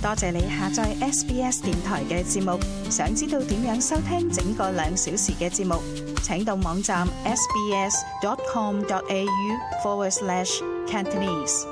多謝你下載 SBS 電台嘅節目。想知道點樣收聽整個2小時嘅節目，請到網站 sbs.com.au/Cantonese。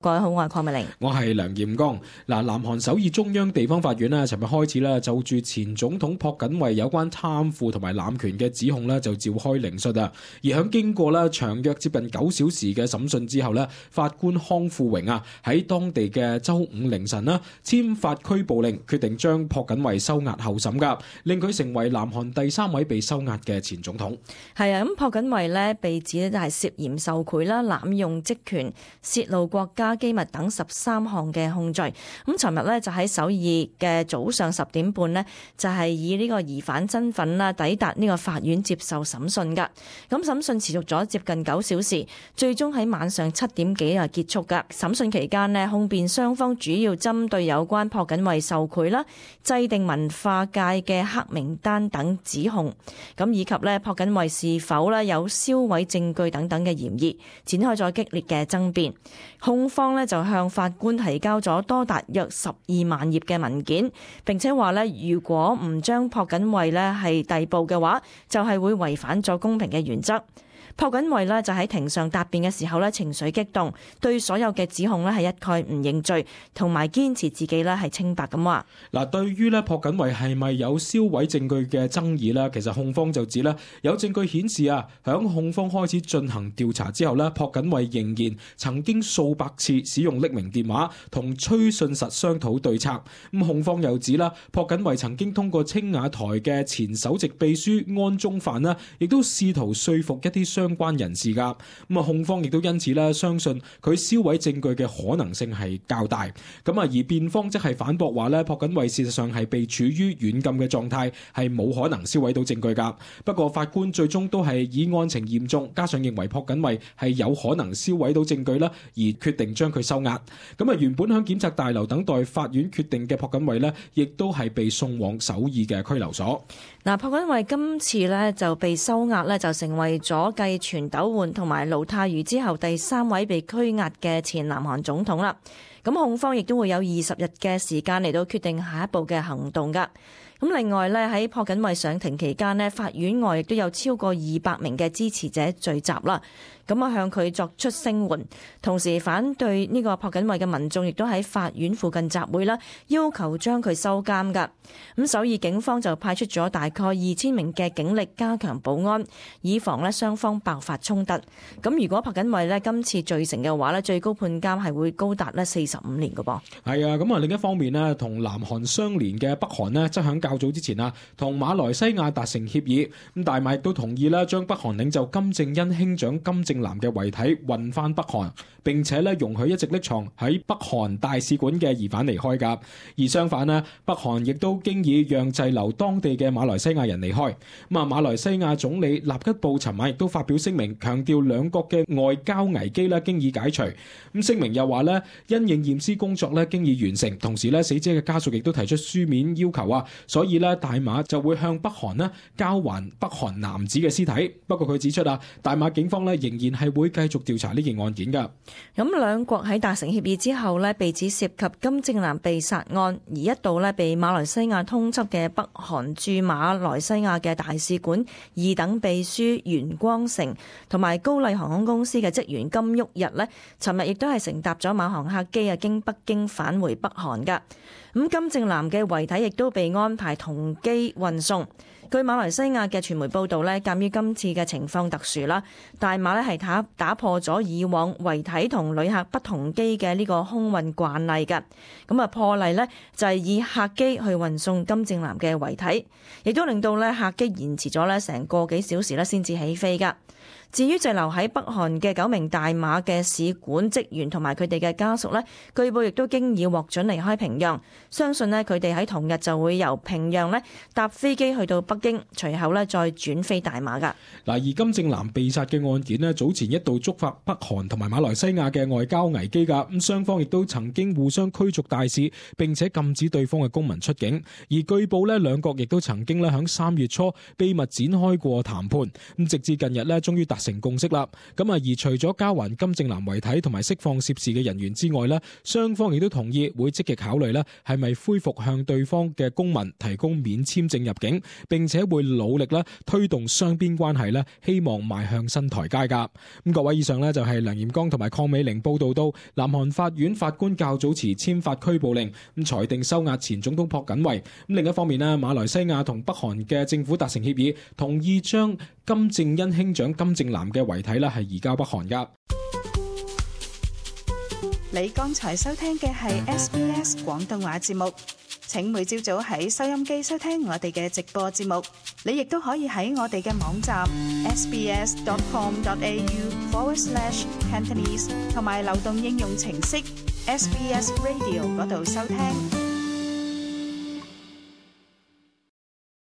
各位好，我係鄺美玲，我係梁艷剛。南韓首爾中央地方法院咧，尋日開始啦，就住前總統朴槿惠有關貪腐同埋濫權嘅指控咧，就召開聆訊啊。而響經過咧長約接近9小時嘅審訊之後咧，法官康富榮啊喺當地嘅周五凌晨啦，簽發拘捕令，決定將朴槿惠收押候審噶，令佢成為南韓第3位被收押嘅前總統。係啊，咁朴槿惠咧被指咧就係涉嫌受賄啦、濫用職權、泄露國家機密等13項嘅控罪。咁尋日咧就喺首爾嘅早上10點半呢，就係以呢個疑犯身份啦抵達呢個法院接受審訊噶。咁審訊持續咗接近9小時，最終喺晚上7點幾啊結束噶。審訊期間呢，控辯雙方主要針對有關朴槿惠受賄啦、制定文化界嘅黑名單等指控，咁以及咧朴槿惠是否咧有銷毀證據等等嘅嫌疑，展開咗激烈嘅爭辯。控方咧就向法官提交咗多達約12萬頁嘅文件，並且話咧如果唔將朴槿惠咧係逮捕嘅話，就係會違反咗公平嘅原則。朴槿惠呢就喺庭上答辯嘅時候呢情緒激動，對所有嘅指控呢係一概唔認罪，同埋堅持自己呢係清白咁話。嗱，對於呢朴槿惠係咪有銷毀證據嘅爭議呢，其實控方就指呢有證據顯示啊，響控方開始進行調查之後呢，朴槿惠仍然曾經數百次使用匿名電話同崔信實商討對策。咁控方又指啦，朴槿惠曾經通過青瓦台嘅前首席秘書安宗範呢，亦都試圖說服一啲相關人士噶。咁啊，控方亦都因此咧相信佢銷毀證據嘅可能性係較大。咁啊，而辯方則係反駁話咧，朴槿惠事實上係被處於軟禁嘅狀態，係冇可能銷毀到證據噶。不過法官最終都係以案情嚴重，加上認為朴槿惠係有可能銷毀到證據啦，而決定將佢收押。咁啊，原本響檢察大樓等待法院決定嘅朴槿惠呢，亦都係被送往首爾嘅拘留所。嗱，朴槿惠今次呢就被收押呢，就成為咗繼全斗煥同埋盧泰愚之後第3位被拘押嘅前南韓總統啦。咁控方亦都會有20日嘅時間嚟到決定下一步嘅行動噶。咁另外咧，喺朴槿惠上庭期間呢，法院外亦都有超過200名嘅支持者聚集啦。咁啊，向佢作出聲援，同時反對呢個朴槿惠嘅民眾亦都喺法院附近集會啦，要求將佢收監噶。咁首爾警方就派出咗大概2000名嘅警力加強保安，以防咧雙方爆發衝突。咁如果朴槿惠咧今次罪成嘅話咧，最高判監係會高達咧45年噶噃。係啊，咁啊另一方面呢，同南韓相連嘅北韓呢，則響較早之前啊，同馬來西亞達成協議，咁大馬亦都同意啦，將北韓領袖金正恩兄長金正男嘅遺體運翻北韓，並且咧容許一直匿藏喺北韓大使館嘅疑犯離開噶。而相反呢，北韓亦都經已讓滯留當地嘅馬來西亞人離開。咁啊，馬來西亞總理納吉布尋晚亦都發表聲明，強調兩國嘅外交危機咧經已解除。咁聲明又話咧，因應驗屍工作咧經已完成，同時咧死者嘅家屬亦都提出書面要求啊，所以咧大馬就會向北韓咧交還北韓男子嘅屍體。不過佢指出啊，大馬警方咧仍然係會繼續調查呢件案件噶。咁兩國喺達成協議之後咧，被指涉及金正男被殺案，而一度咧被馬來西亞通緝嘅北韓駐馬來西亞嘅大使館2等秘書袁光成同埋高麗航空公司嘅職員金旭日呢，尋日亦都係乘搭咗馬航客機啊，經北京返回北韓噶。咁金正男嘅遺體亦都被安排同機運送。據馬來西亞嘅傳媒報道咧，鑑於今次嘅情況特殊啦，大馬咧係打破咗以往遺體同旅客不同機嘅呢個空運慣例嘅。咁啊破例呢就係以客機去運送金正男嘅遺體，亦都令到咧客機延遲咗咧成個幾小時咧先至起飛噶。至於滯留喺北韓嘅9名大馬嘅使館職員同埋佢哋嘅家屬呢，據報亦都經已獲准離開平壤，相信呢佢哋喺同日就會由平壤呢搭飛機去到北京，隨後呢再轉飛大馬噶。嗱，而金正男被殺嘅案件呢，早前一度觸發北韓同埋馬來西亞嘅外交危機噶，咁雙方亦都曾經互相驅逐大使，並且禁止對方嘅公民出境。而據報呢，兩國亦都曾經咧響3月初秘密展開過談判，咁直至近日呢，終於達成共識啦。咁啊，而除咗交還金正男遺體同埋釋放涉事嘅人員之外呢，雙方亦都同意會積極考慮呢係咪恢復向對方嘅公民提供免簽證入境，並且會努力呢推動雙邊關係呢，希望邁向新台階㗎。咁各位，以上呢就係梁炎光同埋鄺美玲報道到，南韓法院法官較早前簽發拘捕令，咁裁定收押前總統朴槿惠。咁另一方面呢，馬來西亞同北韓嘅政府達成協議，同意將金正恩兄長金正男嘅遺體呢係移交北韓㗎。你剛才收聽嘅係 SBS 廣東話節目。請每朝早喺收音機收聽我哋嘅直播節目，你亦都可以喺我哋嘅網站 sbs.com.au/Cantonese 同埋流動應用程式 SBS Radio 嗰度收聽。